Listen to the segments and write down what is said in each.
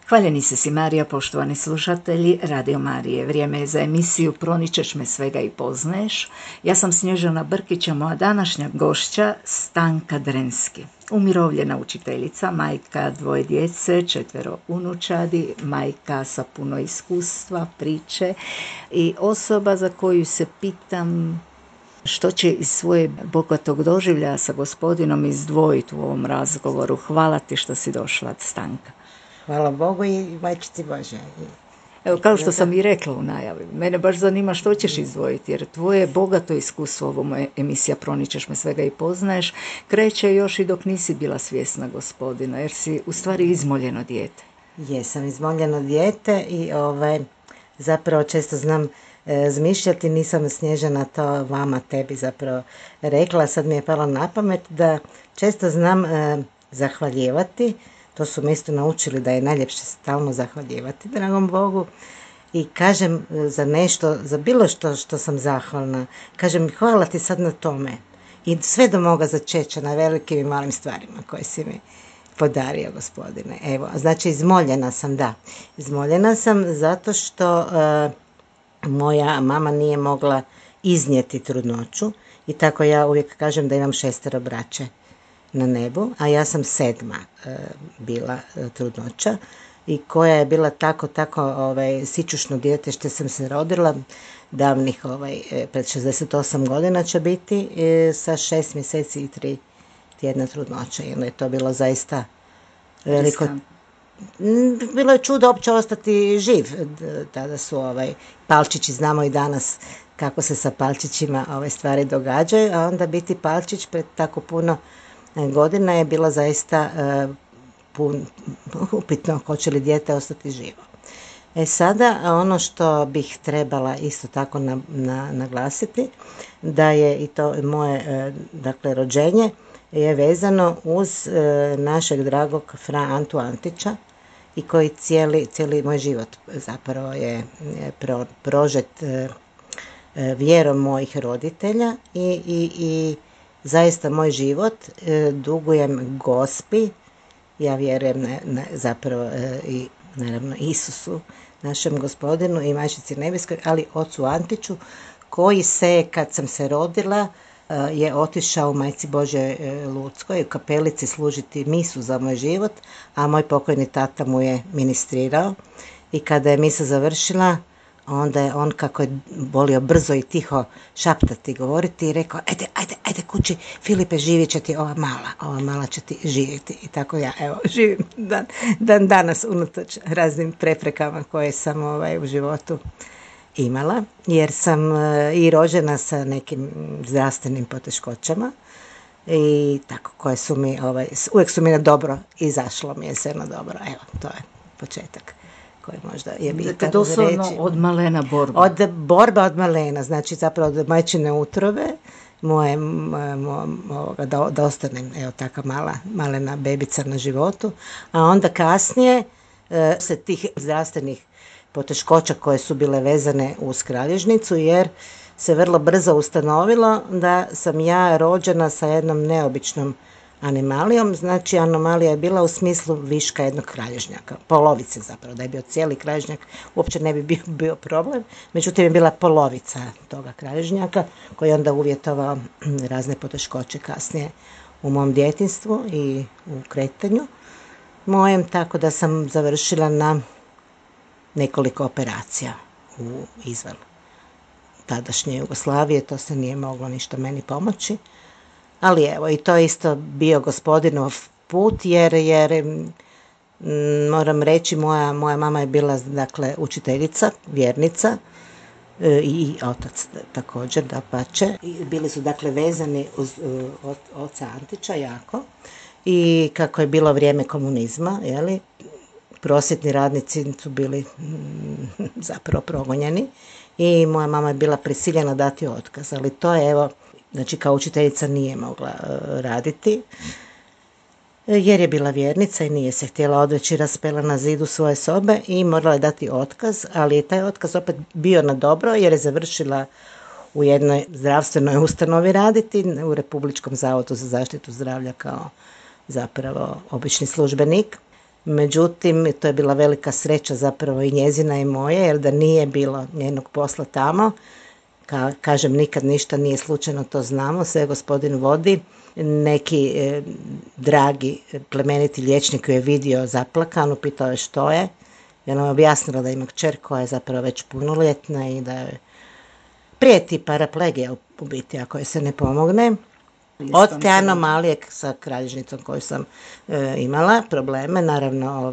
Hvaljeni se si Marija, poštovani slušatelji Radio Marije. Vrijeme je za emisiju Proničeš me svega i poznaješ. Ja sam Snježana Brkić, a moja današnja gošća Stanka Drenski. Umirovljena učiteljica, majka 2 djece, 4 unučadi, majka sa puno iskustva, priče i osoba za koju se pitam što će iz svoje bogatog doživljaja sa gospodinom izdvojiti u ovom razgovoru. Hvala ti što si došla, Stanka. Hvala Bogu i majčici Bože. Evo, kao što sam i rekla u najavi, mene baš zanima što ćeš izdvojiti, jer tvoje bogato iskustvo, ovo moja emisija Proničeš me svega i poznaješ, kreće još i dok nisi bila svjesna gospodina, jer si u stvari izmoljeno dijete. Jesam izmoljeno dijete i zapravo često znam zmišljati, nisam Snježana to vama, tebi zapravo rekla, sad mi je palo na pamet da često znam zahvaljivati. To su me isto naučili da je najljepše stalno zahvaljivati dragom Bogu i kažem za nešto, za bilo što sam zahvalna, kažem hvala ti sad na tome i sve do moga začeća na velikim i malim stvarima koje si mi podario, gospodine. Evo, znači izmoljena sam, da. Izmoljena sam zato što moja mama nije mogla iznijeti trudnoću i tako ja uvijek kažem da imam 6 braće na nebu, a ja sam 7 bila trudnoća i koja je bila tako sićušno dijete što sam se rodila davnih pred 68 godina će biti sa 6 mjeseci i 3 tjedna trudnoća i onda je to bilo zaista veliko. Bilo je čudo uopće ostati živ. Tada su palčići, znamo i danas kako se sa palčićima ove stvari događaju, a onda biti palčić pred tako puno godina je bila zaista upitno hoće li dijete ostati živo. Sada ono što bih trebala isto tako naglasiti da je i to moje rođenje je vezano uz našeg dragog Fra Antu Antića i koji cijeli moj život zapravo je prožet vjerom mojih roditelja i zaista moj život dugujem Gospi, ja vjerujem zapravo i naravno Isusu, našem gospodinu i majčici nebeskoj, ali ocu Antiću koji se, kad sam se rodila, je otišao u Majci Božjoj Ludskoj u kapelici služiti misu za moj život, a moj pokojni tata mu je ministrirao i kada je misa završila, onda je on, kako je volio brzo i tiho šaptati, govoriti i rekao, ajde kući, Filipe, živjet će ti ova mala će ti živjeti. I tako ja, evo, živim dan danas unatoč raznim preprekama koje sam u životu imala, jer sam i rođena sa nekim zdravstvenim poteškoćama i tako, koje su mi, uvijek su mi na dobro izašlo mi je sve na dobro. Evo, to je početak koji možda je bitan. Dakle, doslovno od malena borba. Borba od malena, znači zapravo od majčine utrobe, da ostanem, evo, taka malena bebica na životu, a onda kasnije se tih zdravstvenih poteškoća koje su bile vezane uz kralježnicu, jer se vrlo brzo ustanovilo da sam ja rođena sa jednom neobičnom animalijom, znači anomalija je bila u smislu viška jednog kralježnjaka, polovice zapravo, da je bio cijeli kralježnjak uopće ne bi bio problem, međutim je bila polovica toga kralježnjaka koji je onda uvjetovao razne poteškoće kasnije u mom djetinjstvu i u kretanju mojem, tako da sam završila na nekoliko operacija izvan tadašnje Jugoslavije, to se nije moglo ništa meni pomoći. Ali evo, i to je isto bio gospodinov put, jer moram reći, moja mama je bila, dakle, učiteljica, vjernica i otac također, dapače. Bili su, dakle, vezani uz oca Antića jako i kako je bilo vrijeme komunizma, prosvjetni radnici su bili zapravo progonjeni i moja mama je bila prisiljena dati otkaz, ali to je, evo, znači kao učiteljica nije mogla raditi jer je bila vjernica i nije se htjela odreći, raspela na zidu svoje sobe i morala je dati otkaz, ali je taj otkaz opet bio na dobro jer je završila u jednoj zdravstvenoj ustanovi raditi, u Republičkom zavodu za zaštitu zdravlja kao zapravo obični službenik. Međutim, to je bila velika sreća zapravo i njezina i moje, jer da nije bilo njenog posla tamo, kažem, nikad ništa nije slučajno, to znamo, sve gospodin vodi. Neki dragi plemeniti liječnik ju je vidio zaplakanu, pitao je što je. Ja nam objasnila da ima kćer koja je zapravo već punoljetna i da je prijeti paraplegija u biti ako je se ne pomogne. Od te anomalije sa kralježnicom koju sam imala probleme, naravno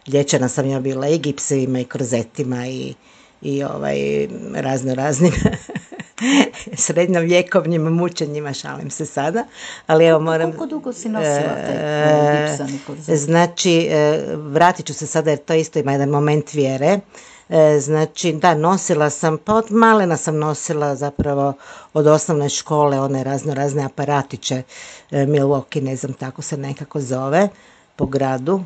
liječena sam ja bila i gipsevima i korzetima i raznim srednjovjekovnim mučenjima, šalim se sada, ali evo moram... Koliko dugo si nosila te gipsani korzet? Znači, vratit ću se sada jer to isto ima jedan moment vjere. Znači, da, nosila sam, pa od malena sam nosila zapravo od osnovne škole one razne aparatiće, Milwaukee, ne znam, tako se nekako zove, po gradu,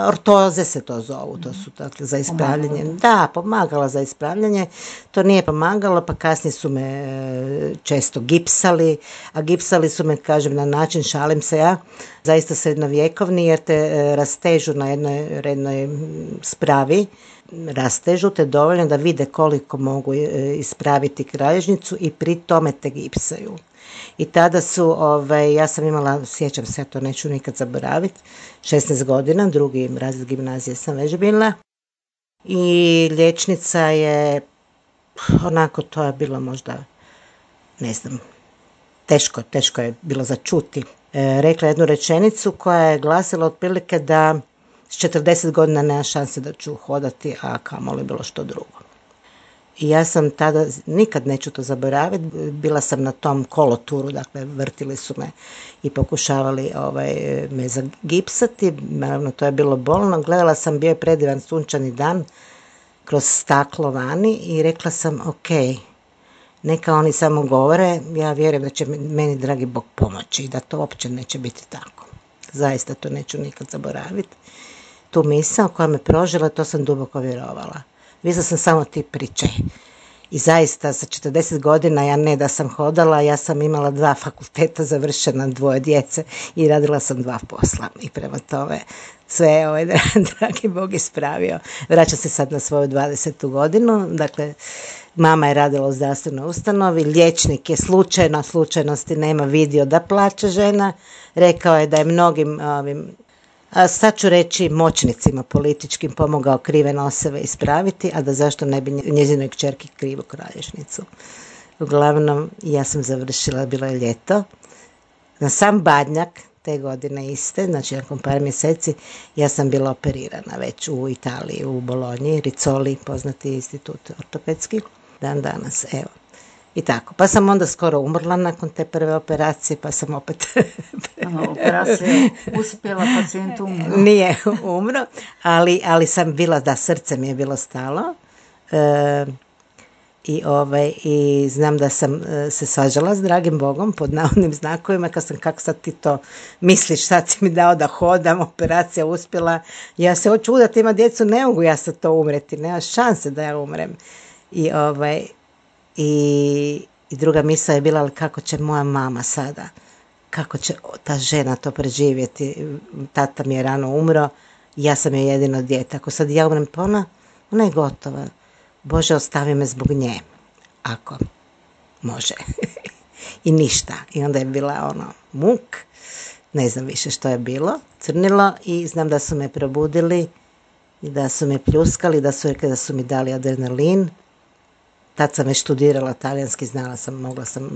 ortoze se to zovu, to su dakle za ispravljanje. Da, pomagala za ispravljanje, to nije pomagalo, pa kasnije su me često gipsali, a gipsali su me, kažem, na način, šalim se ja, zaista srednjovjekovni, jer te rastežu na jednoj spravi, rastežu te dovoljno da vide koliko mogu ispraviti kralježnicu i pri tome te gipsaju. I tada su, ja sam imala, sjećam se, ja to neću nikad zaboraviti, 16 godina, drugi razred gimnazije sam već bila. I liječnica je, onako, to je bilo možda, ne znam, teško je bilo za čuti. Rekla jednu rečenicu koja je glasila otprilike da s 40 godina nema šanse da ću hodati, a kamoli bilo što drugo. I ja sam tada, nikad neću to zaboraviti, bila sam na tom koloturu, dakle vrtili su me i pokušavali me zagipsati, naravno to je bilo bolno, gledala sam, bio je predivan sunčani dan kroz staklo vani i rekla sam ok, neka oni samo govore, ja vjerujem da će meni dragi Bog pomoći i da to uopće neće biti tako. Zaista to neću nikad zaboraviti. Tu misao koja me prožila, to sam duboko vjerovala. Mislila sam samo ti priče. I zaista sa 40 godina ja ne da sam hodala, ja sam imala 2 fakulteta završena, 2 djece i radila sam 2 posla. I prema tome sve dragi Bog ispravio. Vraćam se sad na svoju 20. godinu. Dakle, mama je radila u zdravstvenoj ustanovi, liječnik je slučajnosti nema vidio da plače žena. Rekao je da je mnogim a sad ću reći moćnicima političkim pomogao krive noseve ispraviti, a da zašto ne bi njezinoj kćerki krivu kralježnicu. Uglavnom, ja sam završila, bilo je ljeto, na sam Badnjak te godine iste, znači nakon par mjeseci, ja sam bila operirana već u Italiji, u Bolonji, Rizzoli, poznati institut ortopedski, dan danas, evo. I tako, pa sam onda skoro umrla nakon te prve operacije, pa sam opet... Operacija uspjela, pacijent umro. Nije umro, ali sam bila, da, srce mi je bilo stalo. I znam da sam se svađala s dragim Bogom pod navodnim znakovima, kako sad ti to misliš, sad si mi dao da hodam, operacija uspjela, ja se hoću udati, ima djecu, ne mogu ja sad to umreti, nema šanse da ja umrem. I druga misla je bila, ali kako će moja mama sada, kako će ta žena to preživjeti, tata mi je rano umro, ja sam je jedino dijete, ako sad ja umrem, pa ona je gotova, Bože ostavi me zbog nje, ako može. I ništa, i onda je bila muk, ne znam više što je bilo, crnilo, i znam da su me probudili i da su me pljuskali, da su rekli da su mi dali adrenalin. Tad sam već studirala talijanski, znala sam, mogla sam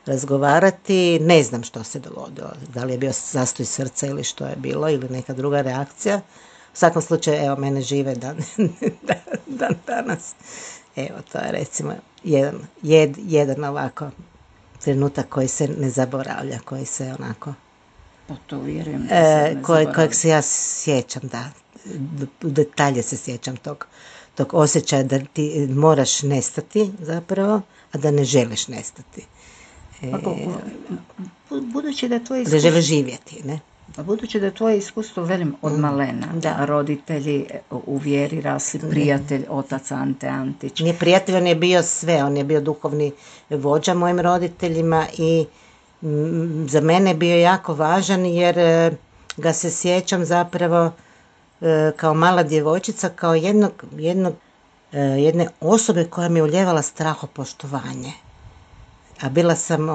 razgovarati, ne znam što se dogodilo, da li je bio zastoj srca ili što je bilo, ili neka druga reakcija. U svakom slučaju, evo, mene žive dan danas. Evo, to je recimo jedan ovako trenutak koji se ne zaboravlja, koji se onako... Pa to vjerujem da se ne zaboravlja. Kojeg se ja sjećam, da, u detalje se sjećam tog osjećaja da ti moraš nestati zapravo, a da ne želiš nestati. Budući da je tvoje iskustvo... Da želiš živjeti, ne? Budući da je tvoje iskustvo, velim, od malena, da roditelji u vjeri rasli, prijatelj, otac Ante Antić. Nije prijatelj, on je bio sve, on je bio duhovni vođa mojim roditeljima i za mene je bio jako važan jer ga se sjećam zapravo kao mala djevojčica, kao jedne osobe koja mi je uljevala strahopoštovanje. A bila sam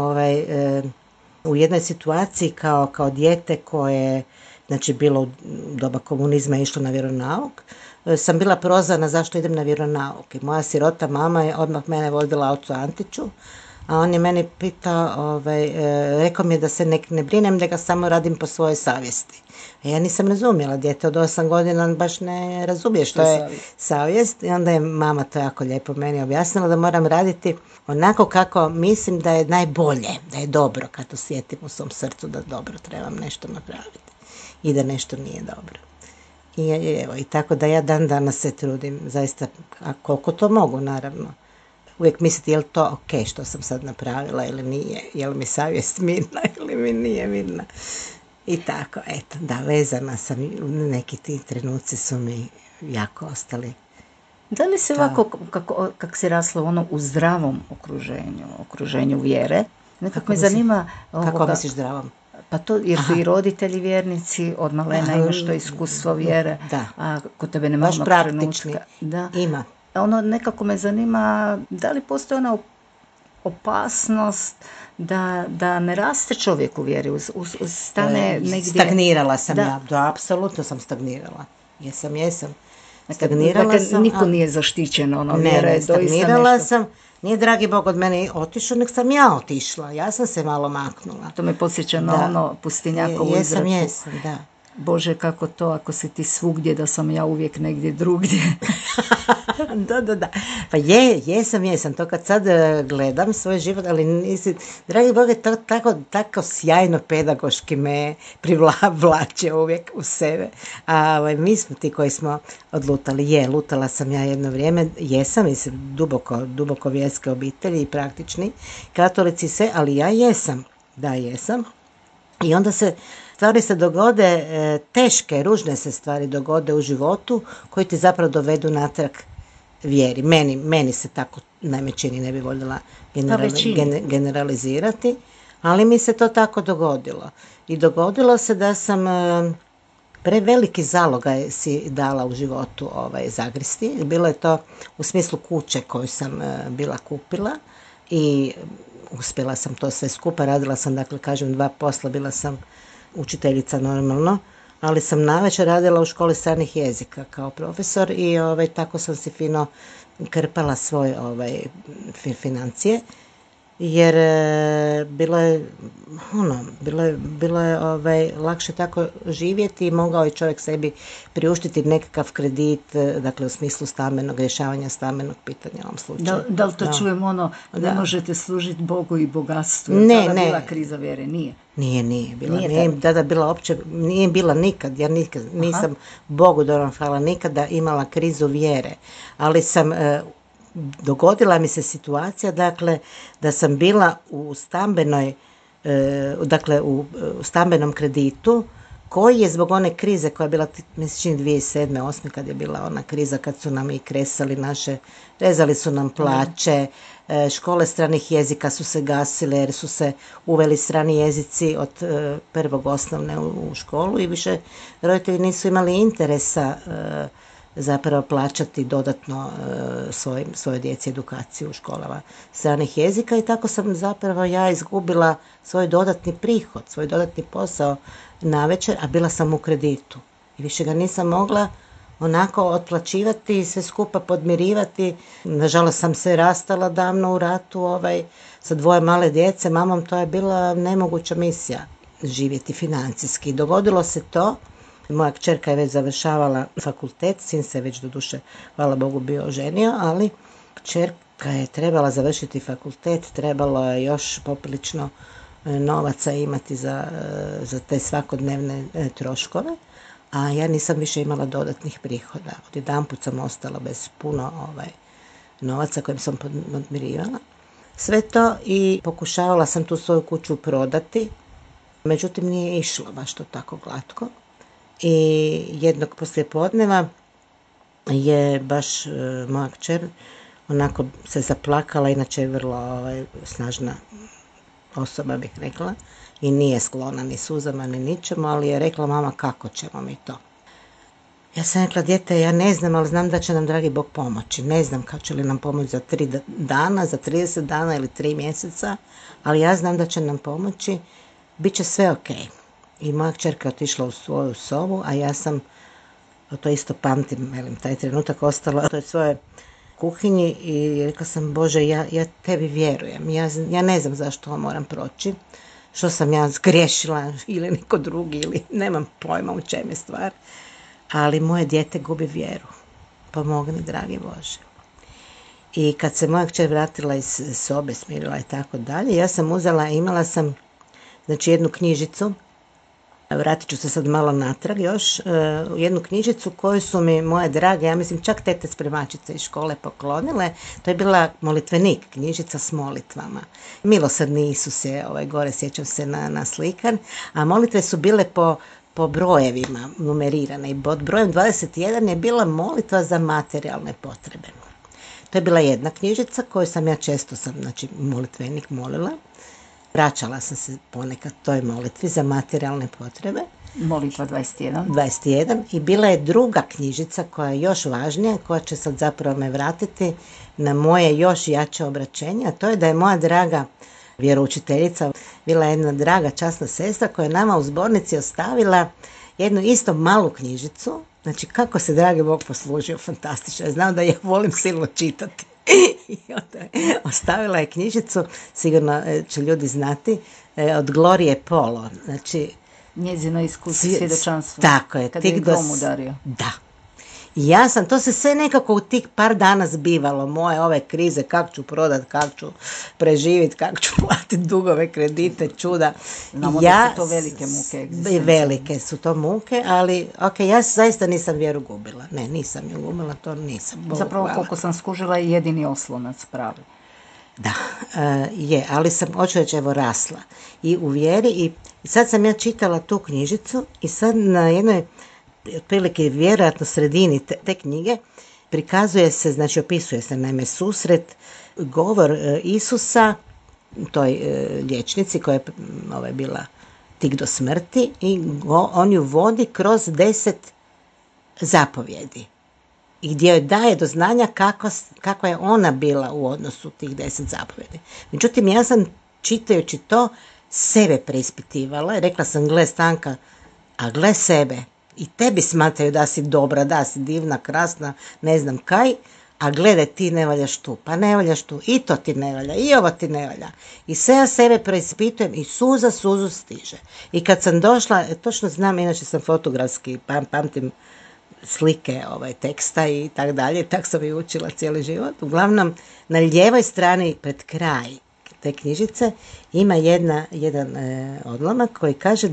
u jednoj situaciji kao dijete koje, znači bilo u doba komunizma išlo na vjeronauk, sam bila prozvana zašto idem na vjeronauk. I moja sirota mama je odmah mene vodila ocu Antiću, a on je meni pitao, rekao mi je da se ne brinem, da ga samo radim po svojoj savjesti. A ja nisam razumjela, dijete od 8 godina on baš ne razumije što je savjest. I onda je mama to jako lijepo meni objasnila da moram raditi onako kako mislim da je najbolje, da je dobro, kad osjetim u svom srcu da dobro trebam nešto napraviti i da nešto nije dobro. I tako da ja dan danas se trudim, zaista, a koliko to mogu, naravno. Uvijek misliti je li to ok što sam sad napravila ili nije, je li mi savjest mirna ili mi nije mirna. I tako, eto, da, vezana sam, neki ti trenuci su mi jako ostali. Da li si ovako, kako si rasla u zdravom okruženju vjere? Nekako me zanima... Kako misliš zdravom? Pa to, jer su i roditelji vjernici, od malena imaš to iskustvo vjere, da. A kod tebe nema onog trenutka. Da. Ima. Nekako me zanima, da li postoji ona opasnost da ne raste čovjek u vjeri, stane negdje... Stagnirala sam da, apsolutno sam stagnirala. Jesam. Stagnirala sam. Niko nije zaštićen, vjera je doista nešto. Stagnirala sam. Nije dragi Bog od mene otišao, nek sam ja otišla. Ja sam se malo maknula. To me podsjeća na pustinjakovu izreku. Jesam, da. Bože, kako to, ako si ti svugdje, da sam ja uvijek negdje drugdje. Da. Pa jesam. To kad sad gledam svoj život, ali nisi, dragi Bože, to tako sjajno pedagoški me privlače uvijek u sebe. A mi smo ti koji smo odlutali. Lutala sam ja jedno vrijeme, jesam, mislim, duboko vjerske obitelji i praktični katolici sve, ali ja jesam. Da, jesam. I onda stvari se dogode, teške, ružne se stvari dogode u životu koji ti zapravo dovedu natrag vjeri. Meni se tako najme čini, ne bi voljela generalizirati, ali mi se to tako dogodilo. I dogodilo se da sam preveliki zalogaj si dala u životu zagristi. Bilo je to u smislu kuće koju sam bila kupila i uspjela sam to sve skupa. Radila sam, dakle, kažem, 2 posla, bila sam učiteljica normalno, ali sam navečer radila u školi stranih jezika kao profesor i tako sam si fino krpala svoje financije, jer bilo je lakše tako živjeti i mogao je čovjek sebi priuštiti nekakav kredit, dakle u smislu rješavanja stambenog pitanja u ovom slučaju. Da li to čujemo ne možete služiti Bogu i bogatstvu? Ne. Bila kriza vjere? Nije. Nije bila. Nije bila nikad. Ja nikad nisam, Bogu dobro hvala, nikada imala krizu vjere, ali sam dogodila mi se situacija, dakle, da sam bila u stambenom kreditu koji je zbog one krize koja je bila, mislim, 2007-2008, kad je bila ona kriza kad su nam i kresali rezali su nam plaće, škole stranih jezika su se gasile jer su se uveli strani jezici od prvog osnovne u školu i više roditelji nisu imali interesa zapravo plaćati dodatno svojoj djeci edukaciju u školama stranih jezika i tako sam zapravo ja izgubila svoj dodatni prihod, svoj dodatni posao navečer, a bila sam u kreditu i više ga nisam mogla onako otplaćivati i sve skupa podmirivati. Nažalost sam se rastala davno u ratu sa 2 male djece, mamom, to je bila nemoguća misija živjeti financijski. Dogodilo se to. Moja kćerka je već završavala fakultet, sin se već doduše, hvala Bogu, bio oženio, ali kćerka je trebala završiti fakultet, trebalo je još poprilično novaca imati za te svakodnevne troškove, a ja nisam više imala dodatnih prihoda. Odjedanput sam ostala bez puno novaca kojim sam podmirivala. Sve to i pokušavala sam tu svoju kuću prodati, međutim nije išlo baš to tako glatko. I jednog poslijepodneva je baš moja kćer onako se zaplakala, inače je vrlo snažna osoba, bih rekla, i nije sklona ni suzama ni ničemu, ali je rekla: mama, kako ćemo mi to? Ja sam rekla: dijete, ja ne znam, ali znam da će nam dragi Bog pomoći. Ne znam kako će li nam pomoći za 3 dana, za 30 dana ili 3 mjeseca, ali ja znam da će nam pomoći, bit će sve ok. I moja kćerka je otišla u svoju sobu, a ja sam, to isto pamtim, taj trenutak, ostala u toj svojoj kuhinji i rekla sam: Bože, ja tebi vjerujem, ja ne znam zašto ovo moram proći, što sam ja zgriješila ili niko drugi, ili nemam pojma u čem je stvar, ali moje dijete gubi vjeru. Pomogni, dragi Bože. I kad se moja kćer vratila iz sobe, smirila i tako dalje, ja sam imala sam jednu knjižicu, vratit ću se sad malo natrag još, jednu knjižicu koju su mi moje drage, ja mislim čak tete spremačice iz škole poklonile. To je bila molitvenik, knjižica s molitvama. Milosrdni Isus je gore, sjećam se, na slikan, a molitve su bile po brojevima numerirane i pod brojem 21 je bila molitva za materijalne potrebe. To je bila jedna knjižica koju sam ja često molitvenik molila. Vraćala sam se ponekad toj molitvi za materijalne potrebe. Molitva 21. 21. I bila je druga knjižica koja je još važnija, koja će sad zapravo me vratiti na moje još jače obraćenje, a to je da je moja draga vjeroučiteljica bila jedna draga časna sestra koja je nama u zbornici ostavila jednu isto malu knjižicu. Znači, kako se dragi Bog poslužio, fantastično. Ja znam da ja volim silno čitati. I onda ostavila je knjižicu, sigurno će ljudi znati, od Glorije Polo. Znači, njezino iskustvo, svjedočanstvo. Tako je. Kad je dom udario. Da. I ja sam, to se sve nekako u tih par dana zbivalo, moje ove krize, kako ću prodat, kako ću preživjeti, kako ću platiti dugove, kredite, čuda. Znamo da su to velike muke. Velike su to muke, ali ja zaista nisam vjeru gubila. Ne, nisam ju gubila, to nisam. Zapravo, koliko sam skužila, je jedini oslonac pravi. Da, je, ali sam, hoću reći, rasla i u vjeri. I sad sam ja čitala tu knjižicu i sad na jednoj, otprilike vjerojatno sredini te knjige, prikazuje se, opisuje se naime susret, govor Isusa toj liječnici koja je bila tik do smrti, i on ju vodi kroz 10 zapovjedi i gdje joj daje do znanja kako je ona bila u odnosu tih 10 zapovjedi. Međutim, ja sam čitajući to sebe preispitivala i rekla sam: gle Stanka, a gle sebe. I tebi smatraju da si dobra, da si divna, krasna, ne znam kaj, a gledaj, ti ne valjaš tu, pa ne valjaš tu, i to ti ne valja, i ovo ti ne valja. I sve ja sebe preispitujem i suzu stiže. I kad sam došla, točno znam, inače sam fotografski, pamtim slike teksta i tak dalje, tak sam i učila cijeli život. Uglavnom, na lijevoj strani pred kraj te knjižice ima jedan odlomak koji kaže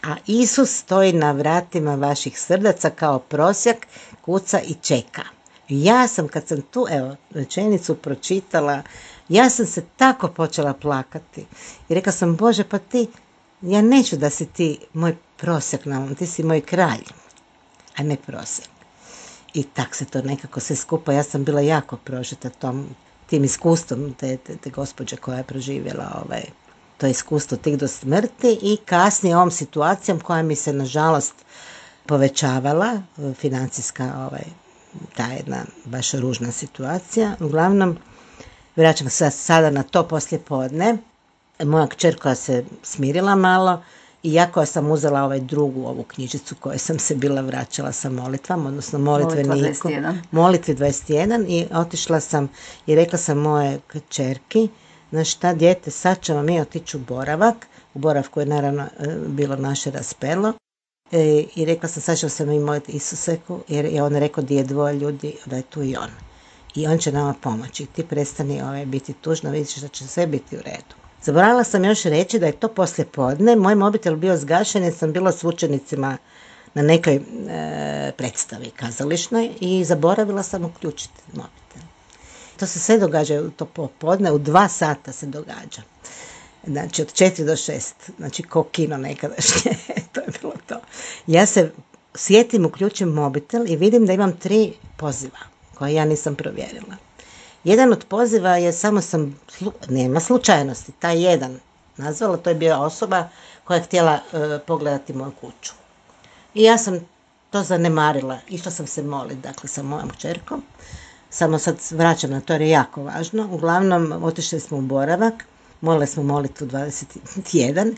a Isus stoji na vratima vaših srdaca kao prosjak, kuca i čeka. Ja sam, kad sam tu rečenicu pročitala, ja sam se tako počela plakati. I rekla sam: Bože, pa ja neću da si ti moj prosjak, ti si moj kralj, a ne prosjak. I tak se to nekako sve skupa, ja sam bila jako prožeta tim iskustvom te gospođe koja je proživjela to iskustvo tik do smrti i kasnije ovom situacijom koja mi se nažalost povećavala, financijska ta jedna baš ružna situacija. Uglavnom, vraćam se sada na to poslijepodne. Moja kćer koja se smirila malo i ja koja sam uzela drugu ovu knjižicu koju sam se bila vraćala sa molitvama, odnosno molitvi 21, i otišla sam i rekla sam moje kćerki: znaš šta, dijete, sad ćemo mi otići u boravak. U boravku je naravno bilo naše raspelo. I rekla sam: sad ćemo se mi moliti Isuseku, jer je on rekao: gdje je 2 ljudi, da je tu i on. I on će nama pomoći. Ti prestani biti tužno, vidiš da će sve biti u redu. Zaboravila sam još reći da je to poslijepodne. Moj mobitel bio zgašen jer sam bila s učenicima na nekoj predstavi kazališnoj i zaboravila sam uključiti mobitel. To se sve događa u to popodne, u 2 sata se događa. Znači, od 4 do 6, znači ko kino nekadašnje, to je bilo to. Ja se sjetim, uključim mobitel i vidim da imam 3 poziva koje ja nisam provjerila. Jedan od poziva je, samo sam, nema slučajnosti, taj jedan nazvala, to je bila osoba koja je htjela pogledati moju kuću. I ja sam to zanemarila, išla sam se moliti, dakle, sa mojom kćerkom. Samo sad vraćam na to jer je jako važno. Uglavnom, otišli smo u boravak, molili smo molitvu 21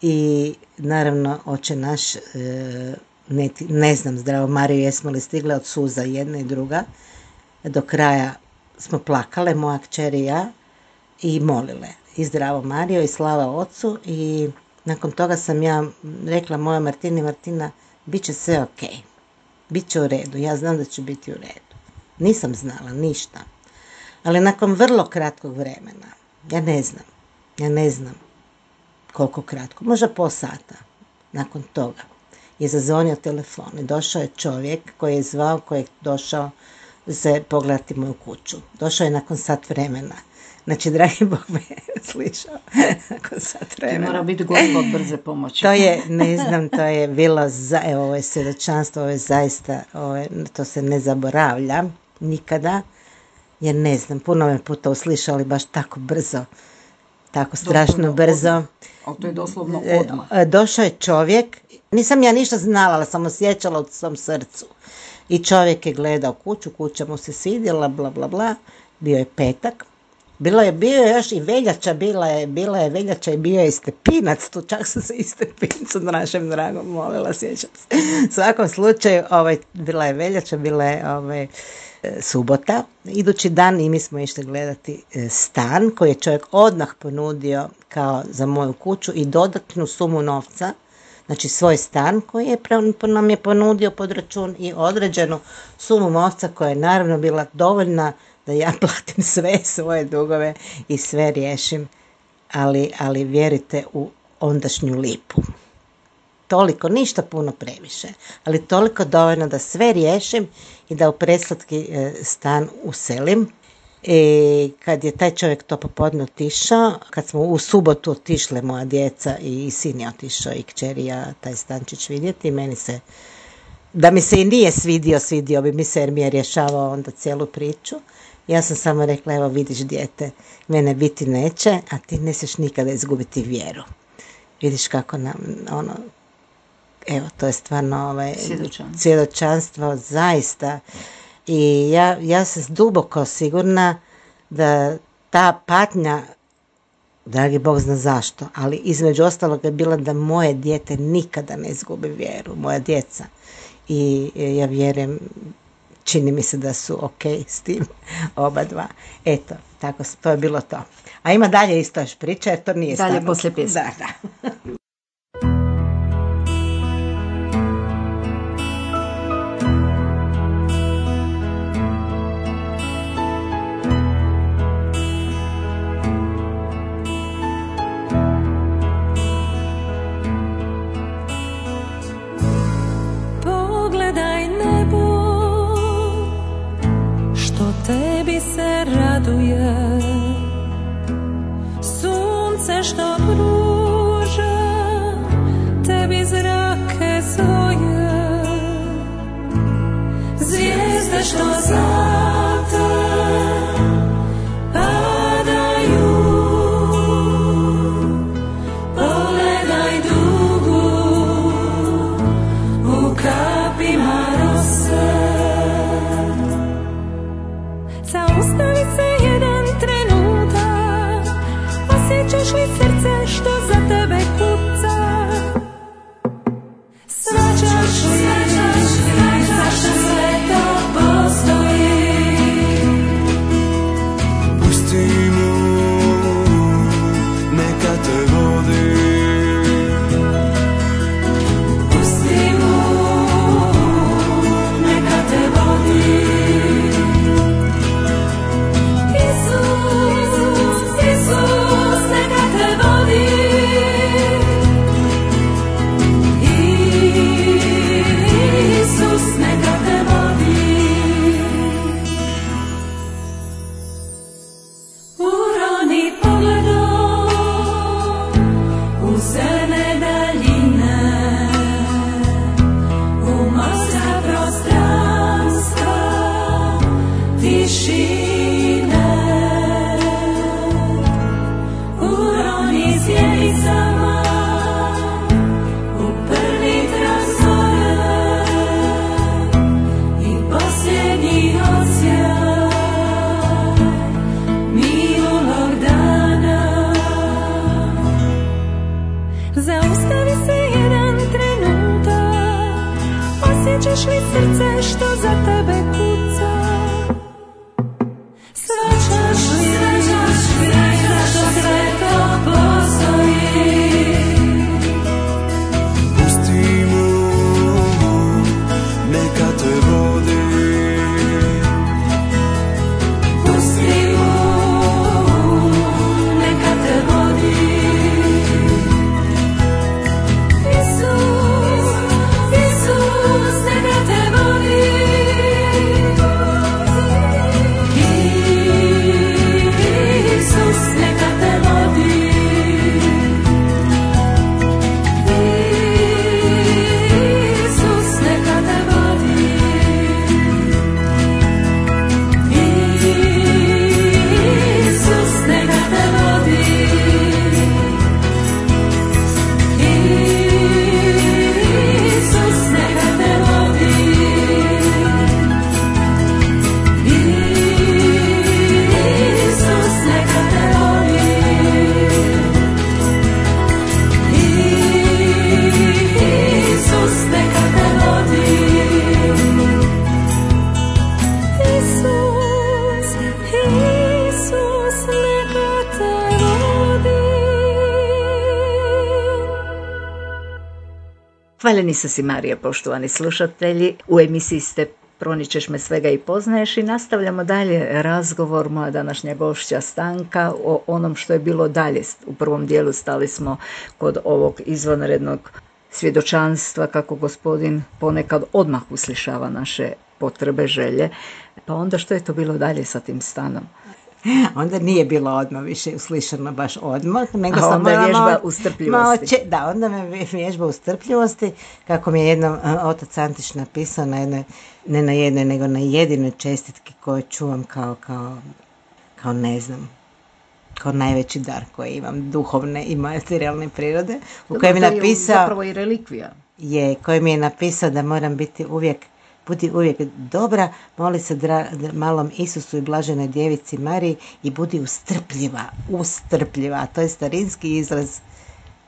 i naravno, Oče naš, ne znam, Zdravo Mariju, jesmo li stigle od suza jedna i druga. Do kraja smo plakale, moja kćer i ja, i molile. I Zdravo Marijo i slava Ocu. I nakon toga sam ja rekla mojoj Martini, Martina, bit će sve ok, bit će u redu, ja znam da će biti u redu. Nisam znala ništa. Ali nakon vrlo kratkog vremena, ja ne znam koliko kratko, možda pol sata nakon toga, je zazvonio telefon i došao je čovjek koji je zvao, koji je došao se pogledati moju kuću. Došao je nakon sat vremena. Znači, dragi Bog me je slišao nakon sat vremena. Ti mora biti Gospod brze pomoći. To je, ne znam, to je bilo, evo, ovo je svjedočanstvo, ovo je zaista, to se ne zaboravlja nikada, jer ne znam, puno me puta uslišali baš tako brzo, tako strašno brzo. Ali to je doslovno odmah. Došao je čovjek, nisam ja ništa znala, ali sam osjećala u svom srcu. I čovjek je gledao kuću, kuća mu se svidjela, bla, bla, bla, bio je petak. Bio je još i veljača, bila je veljača i bio je i Stepinac, tu čak sam se i Stepincu našem dragom molila, sjećam se. U svakom slučaju, bila je veljača, bila je subota. Idući dan i mi smo išli gledati stan koji je čovjek odmah ponudio kao za moju kuću i dodatnu sumu novca, znači svoj stan koji je nam je ponudio pod račun i određenu sumu novca koja je naravno bila dovoljna da ja platim sve svoje dugove i sve riješim, ali vjerujte u ondašnju lipu. Toliko, ništa puno previše, ali toliko dovoljno da sve riješim i da u preslatki stan uselim. I kad je taj čovjek to popodne otišao, kad smo u subotu otišle moja djeca i sin je otišao i kćer i ja taj stančić vidjeti, meni se, da mi se i nije svidio bi mi se jer mi je rješavao onda cijelu priču. Ja sam samo rekla, evo vidiš dijete, mene biti neće, a ti ne smiješ nikada izgubiti vjeru. Vidiš kako nam, evo, to je stvarno svjedočanstvo, zaista. I ja sam duboko sigurna da ta patnja, dragi Bog zna zašto, ali između ostalog je bila da moje dijete nikada ne izgubi vjeru, moja djeca. I ja vjerujem, čini mi se da su ok s tim oba dva. Eto, tako, to je bilo to. A ima dalje isto još priča, jer to nije dalje poslije pjesme. Da. Tebi se raduje, sunce što pruža tebi zrake svoje, zvijezde što zlate padaju, pogledaj dugu u kapima rose. Zaustavi se jedan trenutak, osjećaš li srce što za tebe kuca? Svačaš li zašto sve to postoji? Pusti mu, neka te vodi. Pusti mu, neka te vodi. I Hoćeš li srce što za tebe kuca? Svačaš li zašto sve to postoji? Pusti mu, neka te vodi. Pusti mu, neka te vodi. Isus, Isus, neka te vodi. Isus, neka te vodi. Isus, neka te vodi. Isus, neka te vodi. Isus, neka te vodi. Isus, neka te vodi. Isus, neka te vodi. Isus, Isus, neka te vodi. Hvaljeni su si Marija, poštovani slušatelji. U emisiji ste Proničeš me svega i poznaješ i nastavljamo dalje razgovor. Moja današnja gošća Stanka o onom što je bilo dalje. U prvom dijelu stali smo kod ovog izvanrednog svjedočanstva kako gospodin ponekad odmah uslišava naše potrebe, želje. Pa onda što je to bilo dalje sa tim stanom? Onda nije bilo odmah više uslišano baš odmah, nego A sam onda morala vježba u strpljivosti. Da, onda me vježba u strpljivosti, kako mi je jednom otac Antić napisao na jednoj, ne na jednoj, nego na jedinoj čestitki koju čuvam kao ne znam, kao najveći dar koji imam, duhovne i materijalne prirode, u kojem je To je napisao, zapravo i relikvija. koji mi je napisao da moram biti budi uvijek dobra, moli se malom Isusu i blaženoj djevici Mariji i budi ustrpljiva. A to je starinski izraz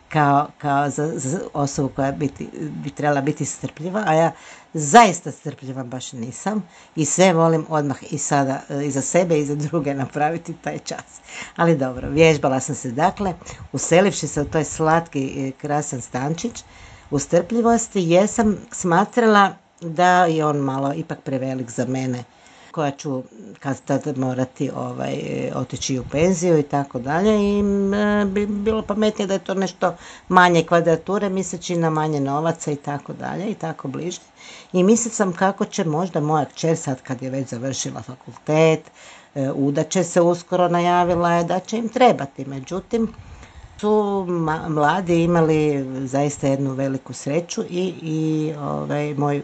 kao za osobu koja bi trebala biti strpljiva, a ja zaista strpljiva baš nisam i sve volim odmah i sada i za sebe i za druge napraviti taj čas. Ali dobro, vježbala sam se dakle, uselivši se u toj slatki krasan stančić u strpljivosti, jer sam smatrala da je on malo ipak prevelik za mene, koja ću kad tad morati otići u penziju i tako dalje, i bi bilo pametnije da je to nešto manje kvadrature, misleći na manje novaca i tako dalje i tako bliže. I mislila sam kako će možda moja kćer, sad kad je već završila fakultet, udaće se uskoro, najavila je da će im trebati, međutim su mladi imali zaista jednu veliku sreću i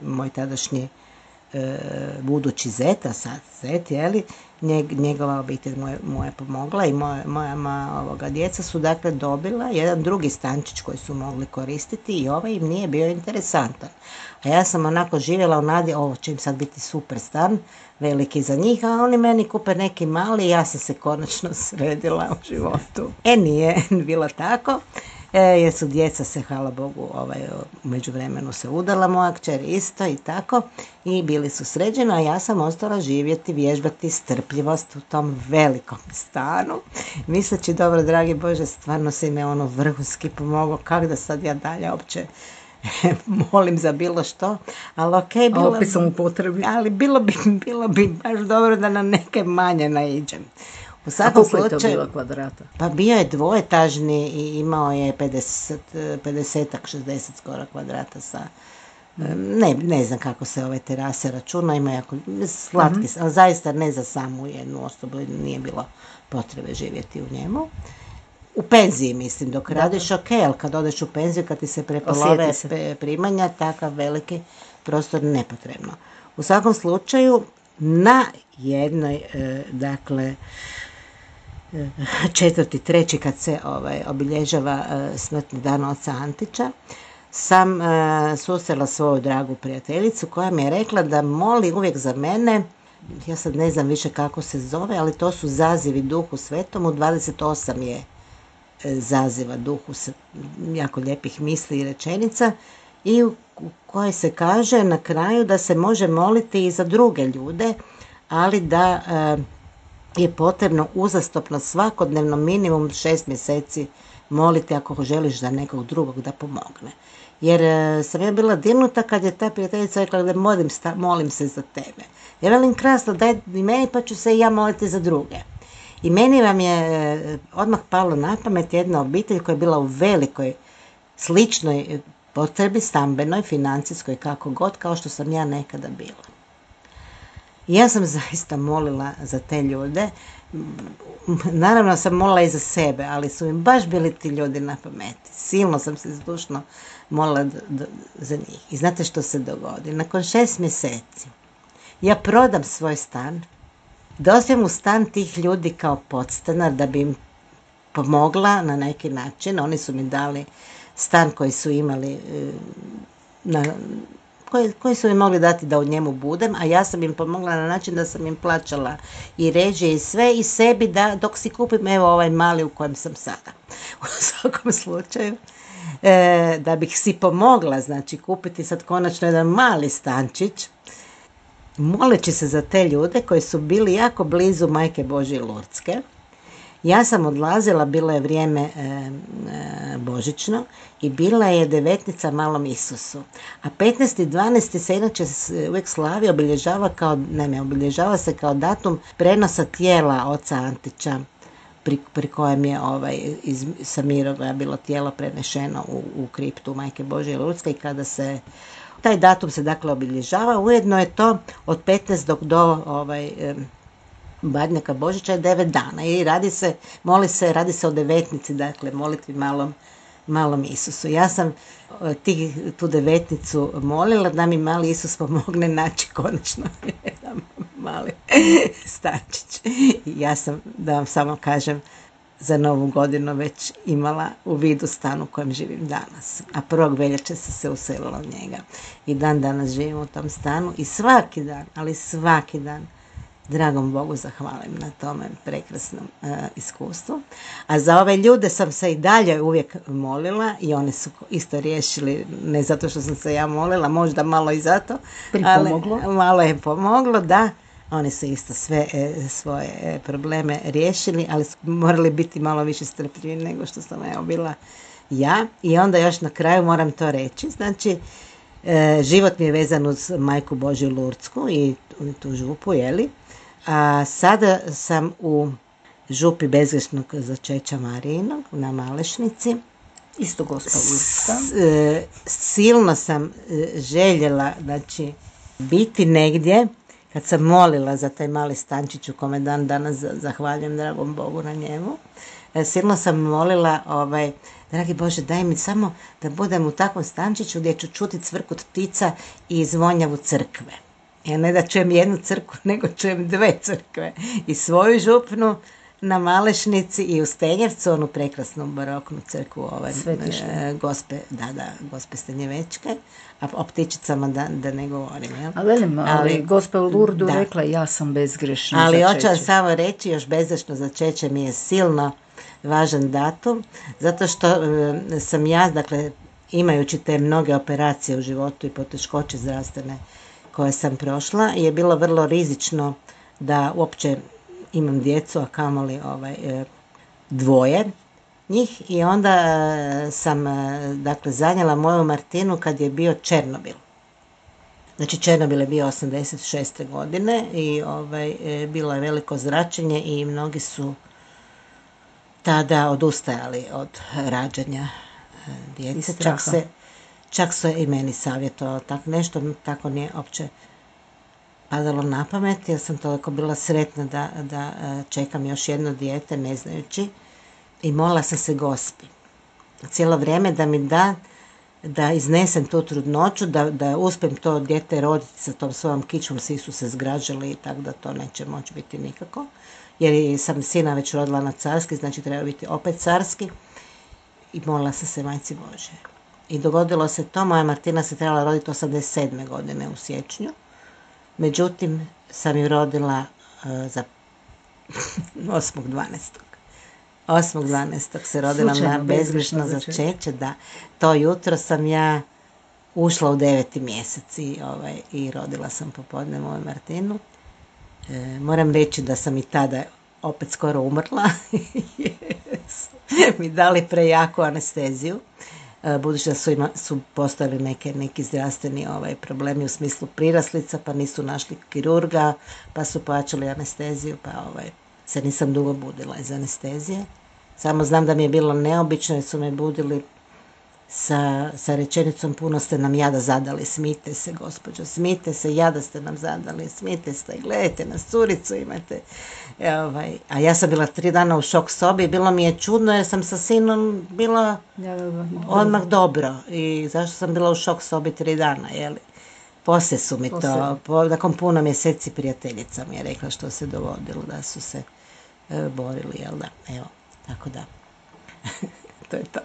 moj tadašnji budući zet, a sad zet, njegova obitelj mu je pomogla i moja djeca su dakle dobila jedan drugi stančić koji su mogli koristiti i ovaj im nije bio interesantan. A ja sam onako živjela u nadi, ovo će im sad biti super stan, veliki za njih, a oni meni kupe neki mali i ja sam se konačno sredila u životu. Nije bilo tako, jer su djeca se, hvala Bogu, u međuvremenu se udala, moja kćer isto i tako, i bili su sređeni, a ja sam ostala živjeti, vježbati strpljivost u tom velikom stanu, misleći, dobro, dragi Bože, stvarno si me vrhunski pomogao, kako da sad ja dalje uopće molim za bilo što, ali okej, opet sam u potrebi. Ali bilo bi baš dobro da na neke manje naiđem. U svakom slučaju, je to bilo kvadrata? Pa bio je dvoetažni i imao je 50-ak, 60 skoro kvadrata sa, ne znam kako se ove terase računa, ima jako slatki, ali zaista ne za samu jednu osobu, nije bilo potrebe živjeti u njemu. U penziji, mislim, dok radiš ok, ali kad odeš u penziju, kad ti se prepolove primanja, takav veliki prostor nepotrebno. U svakom slučaju, na jednoj, dakle, 4.3. kad se obilježava smrtni dan oca Antića, sam susrela svoju dragu prijateljicu koja mi je rekla da moli uvijek za mene, ja sad ne znam više kako se zove, ali to su zazivi Duhu Svetom, u 28 je zaziva Duhu, jako lijepih misli i rečenica, i u kojoj se kaže na kraju da se može moliti i za druge ljude, ali da je potrebno uzastopno svakodnevno minimum 6 mjeseci moliti ako želiš za nekog drugog da pomogne. Jer sam ja bila dirnuta kad je ta prijateljica rekla da molim se za tebe. Ja velim, krasno, daj i meni pa ću se i ja moliti za druge. I meni vam je odmah palo na pamet jedna obitelj koja je bila u velikoj sličnoj potrebi, stambenoj, financijskoj, kako god, kao što sam ja nekada bila. I ja sam zaista molila za te ljude. Naravno sam molila i za sebe, ali su mi baš bili ti ljudi na pameti. Silno sam se zdušno molila za njih. I znate što se dogodi? Nakon 6 mjeseci ja prodam svoj stan, dospijem u stan tih ljudi kao podstanar da bi im pomogla na neki način. Oni su mi dali stan koji su imali, koji su mi mogli dati da u njemu budem, a ja sam im pomogla na način da sam im plaćala i režije i sve i sebi dok si kupim evo ovaj mali u kojem sam sada. U svakom slučaju, da bih si pomogla, znači kupiti sad konačno jedan mali stančić, moleći se za te ljude koji su bili jako blizu Majke Božje Lurdske. Ja sam odlazila, bilo je vrijeme božićno i bila je devetnica Malom Isusu. A 15.12. se inače uvijek slavi, obilježava se kao datum prenosa tijela oca Antića, pri kojem je sa Mirogoja bilo tijelo prenešeno u kriptu Majke Božje Lurdske i kada se taj datum se dakle obilježava, ujedno je to od 15. do Badnjaka Božića je 9 dana i radi se o devetnici, dakle molitvi malom Isusu. Ja sam tu devetnicu molila da mi mali Isus pomogne naći konačno jedan mali stančić. Ja sam, da vam samo kažem, za Novu godinu već imala u vidu stan u kojem živim danas. A 1. veljače se uselila u njega. I dan danas živim u tom stanu i svaki dan dragom Bogu zahvalim na tome prekrasnom iskustvu. A za ove ljude sam se i dalje uvijek molila i oni su isto riješili, ne zato što sam se ja molila, možda malo i zato, ali malo je pomoglo, da. Oni su isto sve svoje probleme riješili, ali su morali biti malo više strpljivi nego što sam bila ja. I onda još na kraju moram to reći, znači život mi je vezan uz Majku Božju Lurdsku i tu župu, jeli? A sada sam u župi bezgrešnog začeća Marijinog na Malešnici. Isto Gospa Lurdska. Silno sam željela, znači, biti negdje. Kad sam molila za taj mali stančić u kome dan danas zahvaljujem dragom Bogu na njemu, silno sam molila, dragi Bože, daj mi samo da budem u takvom stančiću gdje ću čuti cvrkut ptica i zvonjavu crkve. Ja ne da čujem jednu crkvu, nego čujem 2 crkve. I svoju župnu na Malešnici i u Stenjevcu, onu prekrasnu baroknu crkvu Gospe Stenjevečke, a o ptičicama da ne govorim. Jel? Ali Gospa u Lurdu rekla ja sam bezgrešna začeće. Ali hoću vam samo reći, još bezgrešno začeće mi je silno važan datum, zato što sam ja, dakle, imajući te mnoge operacije u životu i poteškoće zdravstvene koje sam prošla, je bilo vrlo rizično da uopće imam djecu, a kamoli 2 njih. I onda sam, dakle, zanijela moju Martinu kad je bio Černobil. Znači, Černobil je bio 86. godine i bilo je veliko zračenje i mnogi su tada odustajali od rađanja djece. Čak su i meni savjetovalo tako nešto, tako nije opće padalo na pamet, jer sam toliko bila sretna da čekam još jedno dijete, ne znajući, i molila sam se Gospi cijelo vrijeme da mi da iznesem tu trudnoću, da uspijem to dijete roditi sa tom svojom kičmom. Svi su se zgražali i tako da to neće moći biti nikako, jer sam sina već rodila na carski, znači treba biti opet carski, i molila sam se Majci Božje. I dogodilo se to, moja Martina se trebala roditi 87. godine u siječnju. Međutim, sam ju rodila za 8.12. 8.12. se rodila na bezgrešno začeće, da. To jutro sam ja ušla u 9. mjesec i rodila sam popodne moju Martinu. Moram reći da sam i tada opet skoro umrla, jer su mi dali prejaku anesteziju, budući da su postojali neki zdravstveni problemi u smislu priraslica, pa nisu našli kirurga, pa su plaćali anesteziju, pa se nisam dugo budila iz anestezije. Samo znam da mi je bilo neobično jer su me budili sa rečenicom puno ste nam jada zadali, smijte se gospođo, smijte se, jada ste nam zadali, smijte se, gledajte nas, curicu imate. A ja sam bila 3 dana u šok sobi i bilo mi je čudno jer sam sa sinom bila odmah dobro. I zašto sam bila u šok sobi 3 dana, jeli? Poslije su mi nakon puno mjeseci prijateljica mi je rekla što se dogodilo, da su se borili, jel da, evo, tako da. To je to.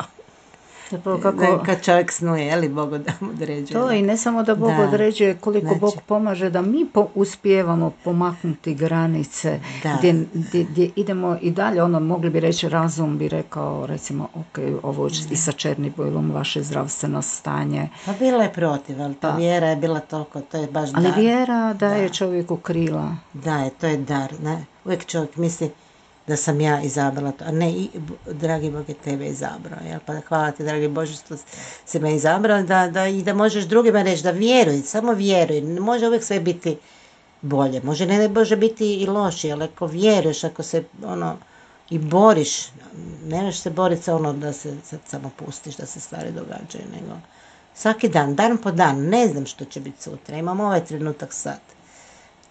Kako... Kad čovjek snuje, je li Bog određuje? To i ne samo da Bog određuje, koliko Bog pomaže da mi uspijevamo pomaknuti granice gdje idemo i dalje. Mogli bi reći, razum bi rekao, recimo, ok, ovo i sa Černobylom, vaše zdravstveno stanje. Pa bila je protiv, ali ta vjera je bila toliko, to je baš dar. Ali vjera daje čovjeku krila. Da, to je dar. Ne? Uvijek čovjek misli da sam ja izabrala to, a ne, dragi Bog je tebe izabrao, jel? Pa hvala ti, dragi Bože, što si me izabrao, da možeš drugima reći, da vjeruj, samo vjeruj, ne može uvijek sve biti bolje, ne može biti i loši, ali ako vjeruješ, ako se i boriš, ne možeš se boriti sa da se sad samo pustiš, da se stvari događaju, nego svaki dan po dan, ne znam što će biti sutra, imam ovaj trenutak sad.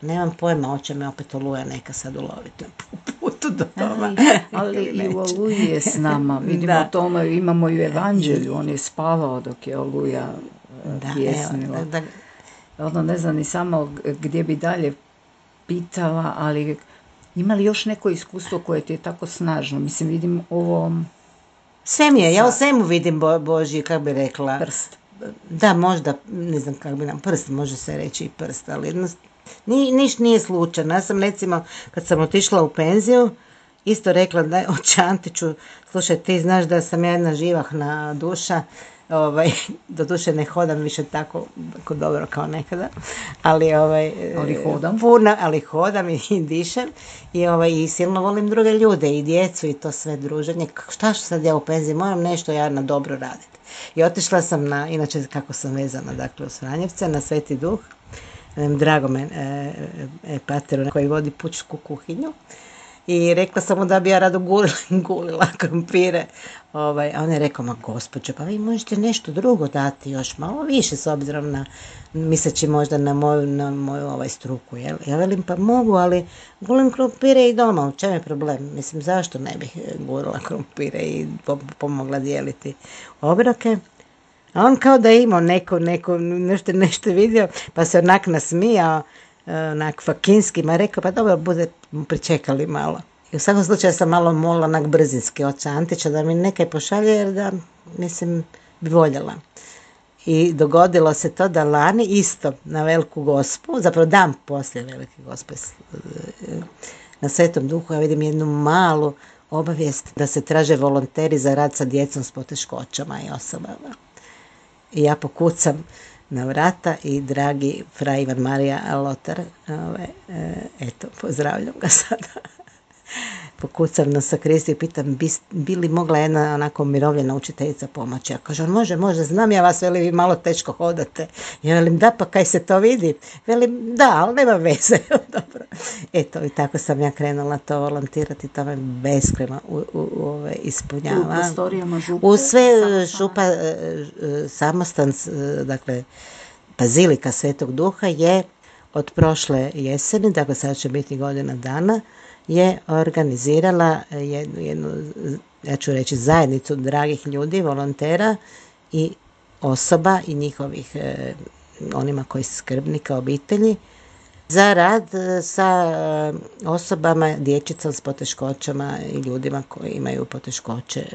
Nemam pojma, hoće me opet Oluja neka sad uloviti na putu do doma. Ali i u Oluji je s nama. Vidimo to, imamo i u Evanđelju. On je spavao dok je Oluja pjesnila. Ne znam ni samo gdje bi dalje pitala, ali ima li još neko iskustvo koje ti je tako snažno? Mislim, vidim ovo... Sve mi je, ja u svemu vidim Božji, kako bi rekla... Prst. Da, možda, ne znam kako bi nam prst, može se reći i prst, ali niš nije slučajno. Ja sam recimo, kad sam otišla u penziju, isto rekla da oče Antiću, slušaj, ti znaš da sam ja jedna živahna duša, doduše ne hodam više tako dobro kao nekada, ali hodam. Ali hodam i dišem i silno volim druge ljude i djecu i to sve druženje. Šta ću sad ja u penziji, moram nešto ja na dobro raditi. I otišla sam inače kako sam vezana, dakle u Franjevce, na Sveti Duh, drago me pateru koji vodi pučku kuhinju, i rekla sam mu da bi ja rado gulila krompire, a on je rekao, ma gospođo, pa vi možete nešto drugo dati još malo više s obzirom na, misleći možda na moju struku, jel? Ja velim, pa mogu, ali gulim krompire i doma, u čem je problem? Mislim, zašto ne bih gulila krompire i pomogla dijeliti obroke? A on kao da je imao nešto vidio, pa se onak nasmijao, onak fakinski, ma rekao, pa dobro, bude pričekali malo. I u svakom slučaju sam malo molila onak brzinski oca Antića da mi nekaj pošalje, jer da, mislim, bi voljela. I dogodilo se to da lani isto na Veliku Gospu, zapravo dan poslije Velike Gospe na Svetom Duhu, ja vidim jednu malu obavijest da se traže volonteri za rad sa djecom s poteškoćama i osobama. I ja pokucam na vrata i dragi fra Ivan Marija Lotar, eto, pozdravljam ga sada. Pokucam na sakristiju i pitam, bi li mogla jedna onako umirovljena učiteljica pomoći? Ja kažem, može, znam ja vas, veli, vi malo teško hodate. Ja velim, da, pa kaj se to vidi? Velim, da, ali nema veze. Dobro. Eto, i tako sam ja krenula to volontirati, to me beskrajno ispunjava. U prostorijama župe? U sve župa, samostan, dakle, Bazilika Svetog Duha je od prošle jeseni, dakle sada će biti godina dana, je organizirala jednu, ja ću reći, zajednicu dragih ljudi, volontera i osoba i njihovih, onima koji su skrbnika obitelji, za rad sa osobama, dječicom s poteškoćama i ljudima koji imaju poteškoće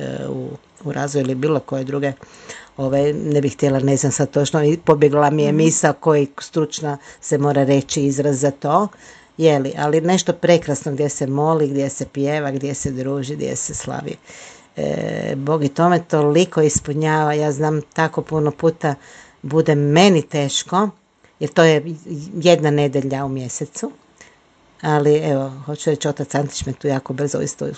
u razvoju ili bilo koje druge, ne bih htjela, ne znam sad točno, pobjegla mi je misao koji stručna se mora reći izraz za to, ali nešto prekrasno gdje se moli, gdje se pjeva, gdje se druži, gdje se slavi. Bog i tome toliko ispunjava. Ja znam tako puno puta bude meni teško, jer to je jedna nedjelja u mjesecu, ali evo, hoću reći, otac Antić me tu jako brzo isto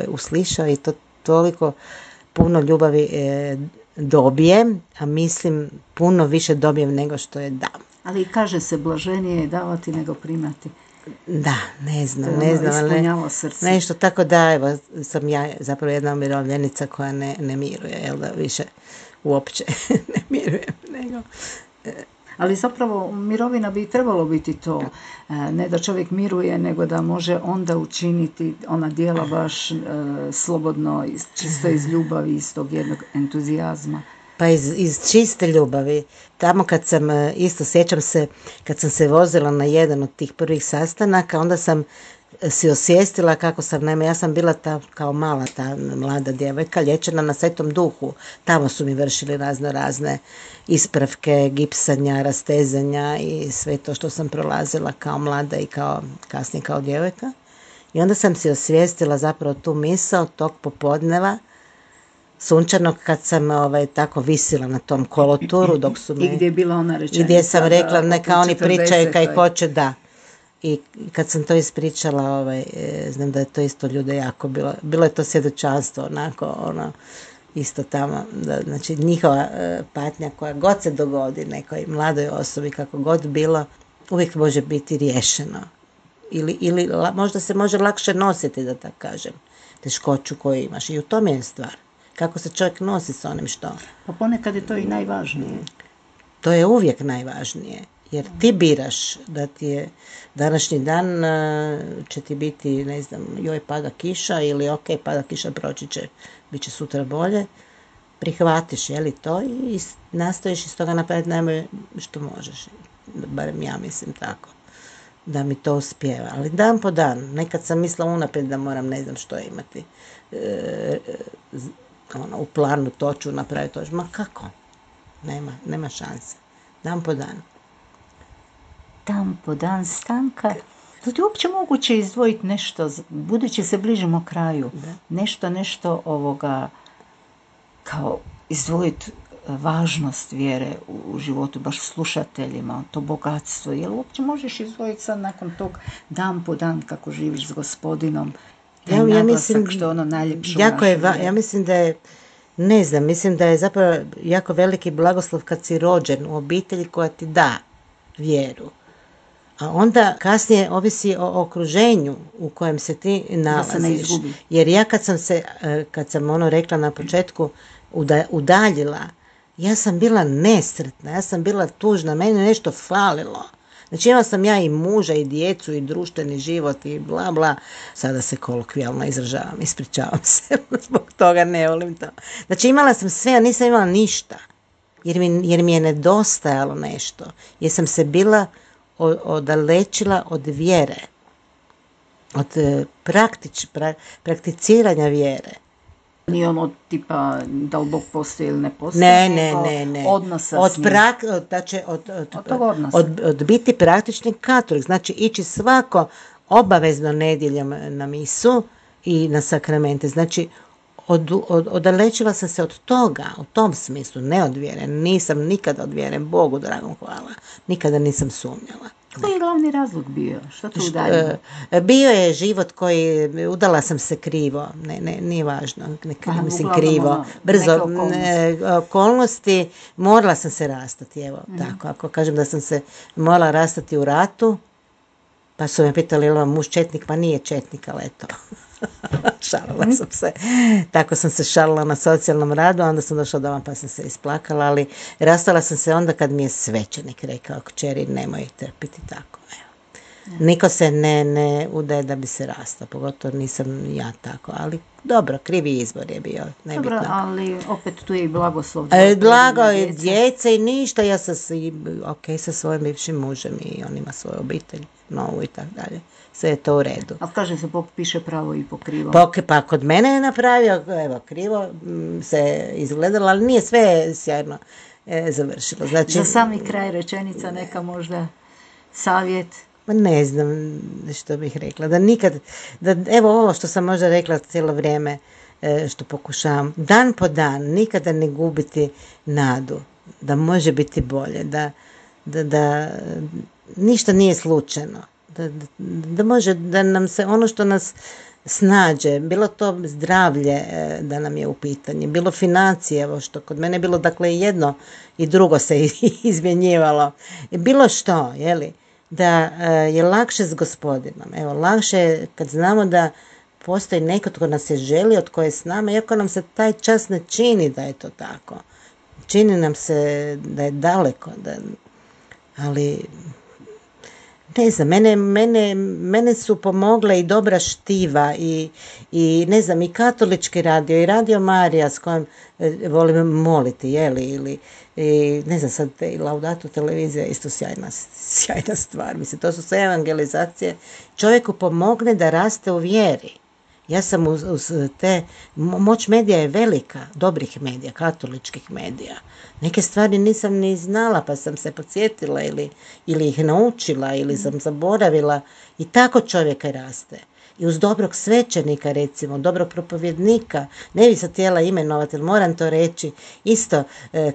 uslišao i to toliko puno ljubavi dobijem, a mislim puno više dobijem nego što je dam. Ali kaže se, blaženije je davati nego primati. Da, ne znam, Ispunjava srce. nešto tako da, evo, sam ja zapravo jedna umirovljenica koja ne miruje, jel da, više uopće ne mirujem, nego... Ali zapravo mirovina bi trebalo biti to, ne da čovjek miruje, nego da može onda učiniti ona djela baš slobodno, čisto iz ljubavi, iz tog jednog entuzijazma. Pa iz čiste ljubavi. Tamo kad sam, isto sjećam se, kad sam se vozila na jedan od tih prvih sastanaka, onda sam si osvijestila kako sam, naime, ja sam bila kao mala ta mlada djevojka, liječena na Svetom Duhu. Tamo su mi vršili razne ispravke, gipsanja, rastezanja i sve to što sam prolazila kao mlada i kasnije kao djevojka. I onda sam si osvijestila zapravo tu misao tog popodneva sunčanog, kad sam tako visila na tom koloturu dok su me... I gdje je bila ona rečenica? I gdje sam rekla, neka oni pričaju kaj hoće, da. I kad sam to ispričala, znam da je to isto ljude jako bilo je to svjedočanstvo, onako, isto tamo, znači njihova patnja koja god se dogodi nekoj mladoj osobi, kako god bilo, uvijek može biti riješeno. Ili možda se može lakše nositi, da tako kažem, teškoću koju imaš. I u tome je stvar. Kako se čovjek nosi s onim što... Pa ponekad je to i najvažnije. To je uvijek najvažnije. Jer ti biraš da ti je današnji dan će ti biti, ne znam, joj pada kiša ili ok, pada kiša, proći će, bit će sutra bolje. Prihvatiš, je li to, i nastojiš iz toga napraviti najbolje što možeš. Barem ja mislim tako. Da mi to uspijeva. Ali dan po dan. Nekad sam mislila unaprijed da moram ne znam što imati. U planu to ću napraviti. Ma kako? Nema šanse. Dan po dan. Dan po dan, Stanka. Da li je uopće moguće izdvojiti nešto, budući se bližimo kraju, nešto ovoga, kao izdvojiti važnost vjere u životu, baš slušateljima, to bogatstvo. Jel uopće možeš izdvojiti sad nakon tog dan po dan kako živiš s Gospodinom? Ja mislim, što je ono najljepše ja mislim da je, ne znam, mislim da je zapravo jako veliki blagoslov kad si rođen u obitelji koja ti da vjeru. A onda kasnije ovisi o okruženju u kojem se ti nalaziš. Jer ja kad sam rekla na početku, udaljila, ja sam bila nesretna, ja sam bila tužna, meni je nešto falilo. Znači imala sam ja i muža i djecu i društveni život i bla bla. Sada se kolokvijalno izražavam, ispričavam se, zbog toga ne volim to. Znači imala sam sve, a nisam imala ništa. Jer mi je nedostajalo nešto. Jer sam se bila odalečila od vjere. Od prakticiranja vjere. Nije ono tipa da li Bog postoji ili ne postoji, ne. Odnosa s njim. Od biti praktični katolik, znači ići svako obavezno nedjeljom na misu i na sakramente. Znači odalečila sam se od toga, u tom smislu, ne od vjere. Nisam nikada od vjere, Bogu dragom hvala, nikada nisam sumnjala. Koji je glavni razlog bio? Što te udaljilo? Bio je život koji, udala sam se krivo, nije važno, krivo, brzo, okolnosti, morala sam se rastati, evo, tako, ako kažem da sam se morala rastati u ratu, pa su me pitali, je li vam muž četnik, pa nije četnik, ali eto. Šalila sam se. Tako sam se šalila na socijalnom radu, onda sam došla doma pa sam se isplakala, ali rastala sam se onda kad mi je svećenik rekao, kćeri, nemoj trpiti tako. Evo. Niko se ne udaje da bi se rastao, pogotovo nisam ja tako, ali dobro, krivi izbor je bio. Nebitno. Dobro, ali opet tu je i blagoslov. Blago i djece i ništa, ja sam sa svojim bivšim mužem i on ima svoju obitelj, novu i tako dalje. Sve je to u redu. Ali kaže se, Bog piše pravo i po krivo. Pa kod mene je napravio, evo, krivo se izgledalo, ali nije sve sjajno završilo. Znači, za sami kraj rečenica neka možda savjet. Ne znam što bih rekla. Evo ovo što sam možda rekla cijelo vrijeme, što pokušavam, dan po dan, nikada ne gubiti nadu. da može biti bolje, da ništa nije slučajno, da može, da nam se ono što nas snađe, bilo to zdravlje da nam je u pitanju, bilo financije, evo što kod mene je bilo, dakle jedno i drugo se izmjenjivalo, bilo što, jeli, da je lakše s Gospodinom, evo, lakše je kad znamo da postoji neko tko nas je želio, tko je s nama, iako nam se taj čas ne čini da je to tako. Čini nam se da je daleko, ali ne znam, mene su pomogle i dobra štiva i ne znam, i katolički radio i Radio Marija s kojim volim moliti, ili i ne znam, sad i Laudato televizija isto sjajna stvar. Mislim, to su sve evangelizacije. Čovjeku pomogne da raste u vjeri. Ja sam uz te, moć medija je velika, dobrih medija, katoličkih medija. Neke stvari nisam ni znala, pa sam se podsjetila ili ih naučila ili sam zaboravila i tako čovjeka raste. I uz dobrog svećenika, recimo, dobrog propovjednika, ne bi se htjela imenovati, ali moram to reći, isto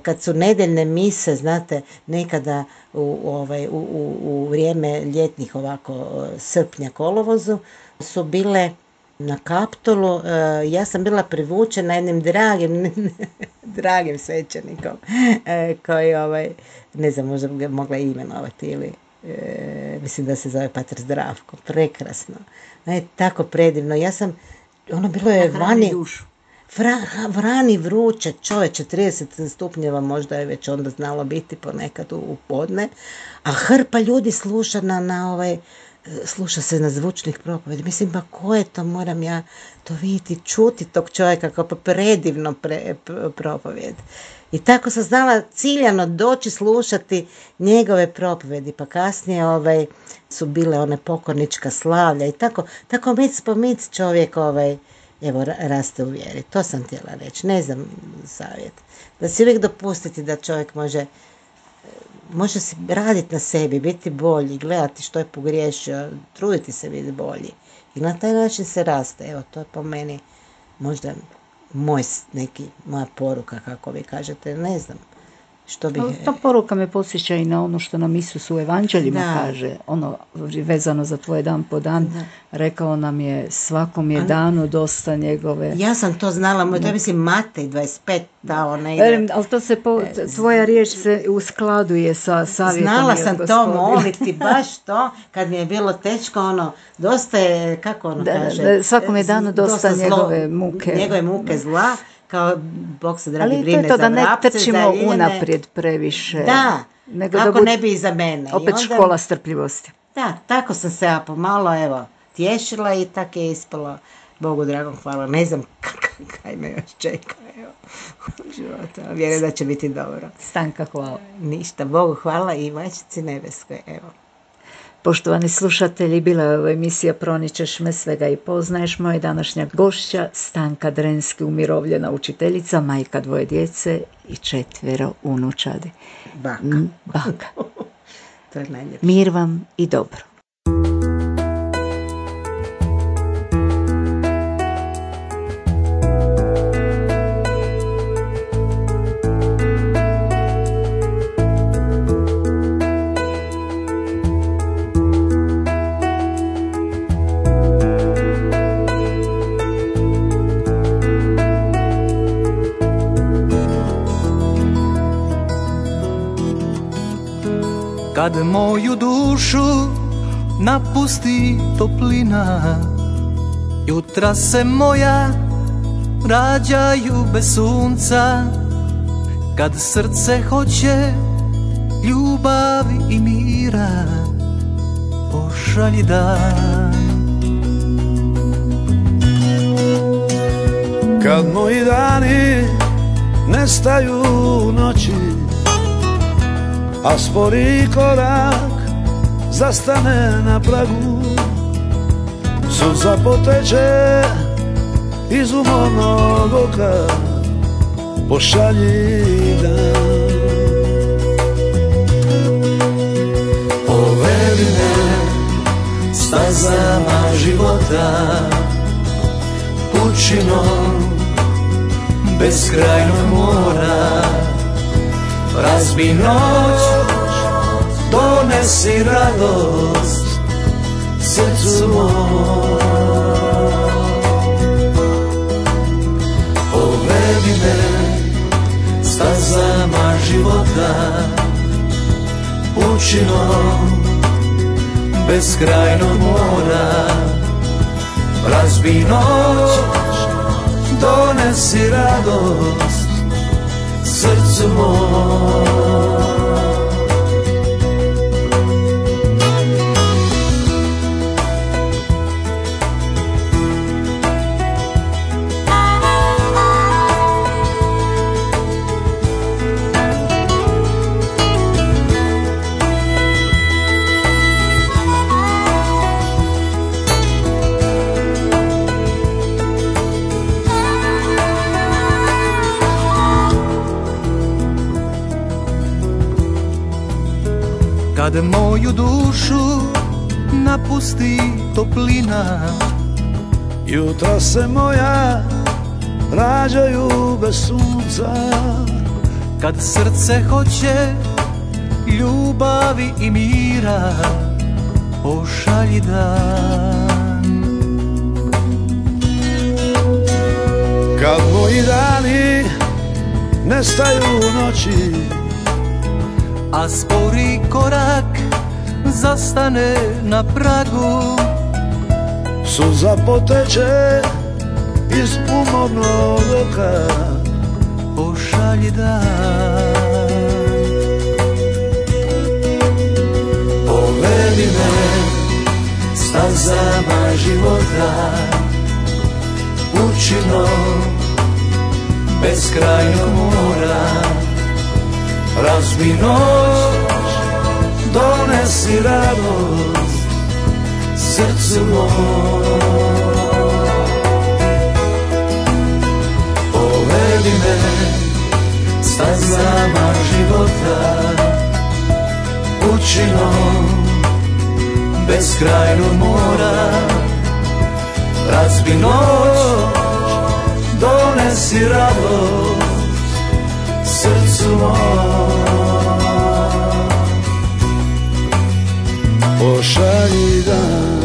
kad su nedeljne mise, znate, nekada u vrijeme ljetnih ovako srpnja, kolovozu, su bile na Kaptolu, ja sam bila privučena jednim dragim svećenikom koji, ne znam, možda ga mogla imenovati ili mislim da se zove Pater Zdravko, prekrasno, tako predivno. Ja sam, bilo je vani, vrani vruće, čoveče, 30 stupnjeva možda je već onda znalo biti ponekad u podne, a hrpa ljudi sluša sluša se na zvučnih propovjedi. Mislim, pa ko je to, moram ja to vidjeti, čuti tog čovjeka kao predivno propovjed. I tako sam znala ciljano doći slušati njegove propovjedi, pa kasnije su bile one pokornička slavlja i tako mic po mic čovjek evo, raste u vjeri. To sam htjela reći, ne znam, savjet. Da si uvijek dopustiti da čovjek može si raditi na sebi, biti bolji, gledati što je pogriješio, truditi se biti bolji. I na taj način se raste. Evo, to je po meni možda moja poruka, kako vi kažete, ne znam. Što bi... Ta poruka me podsjeća i na ono što nam Isus u evanđeljima kaže, ono vezano za tvoj dan po dan, rekao nam je svakom je danu dosta njegove... Ja sam to znala, to mislim Matej 25 dao negdje. Ali to se tvoja riječ se uskladuje sa savjetom. Znala sam to moliti, baš to, kad mi je bilo teško, dosta je, kako kaže... Svakom je danu dosta njegove muke. Njegove muke zla. Kao Bog se dragi brine za vrapce. Ali to je to da ne trčimo unaprijed previše. Da, nego kako ne bi i za mene. Opet onda, škola strpljivosti. Da, tako sam se ja pomalo, tješila i tako je ispalo. Bogu dragom hvala. Ne znam kaj me još čeka, u životu. Vjerujem da će biti dobro. Stanka, hvala. Ništa, Bogu hvala i Majčici nebeskoj, Poštovani slušatelji, bila je ovo emisija Proničeš me, svega i poznaješ. Moja današnja gošća Stanka Drenski, umirovljena učiteljica, majka 2 djece i 4 unučadi. Baka. To je najljepše. Mir vam i dobro. Kad moju dušu napusti toplina, jutra se moja rađaju bez sunca. Kad srce hoće ljubavi i mira, pošalji dan. Kad moji dani nestaju u noći, a spori korak zastane na pragu, suza poteče iz umornog oka, pošalji dan. Povedi me stazama života, pučinom beskrajnog mora, razbi noć, donesi radost srcu moj. Povedi me stazama života, pučinom beskrajnog mora, razbi noć, donesi radost srcu moj. Kad moju dušu napusti toplina, jutra se moja rađaju bez sunca. Kad srce hoće ljubavi i mira, pošalji dan. Kad moji dani nestaju u noći, a spori korak zastane na pragu, suza poteče iz umornog oka, pošalji dan. Povedi me stazama života, pučinom beskrajnog mora, razbi noć, donesi radost srcu moj. Povedi me stazama života, pučinom beskrajnog mora, razbi noć, donesi radost srcu moj. Pošalji dan.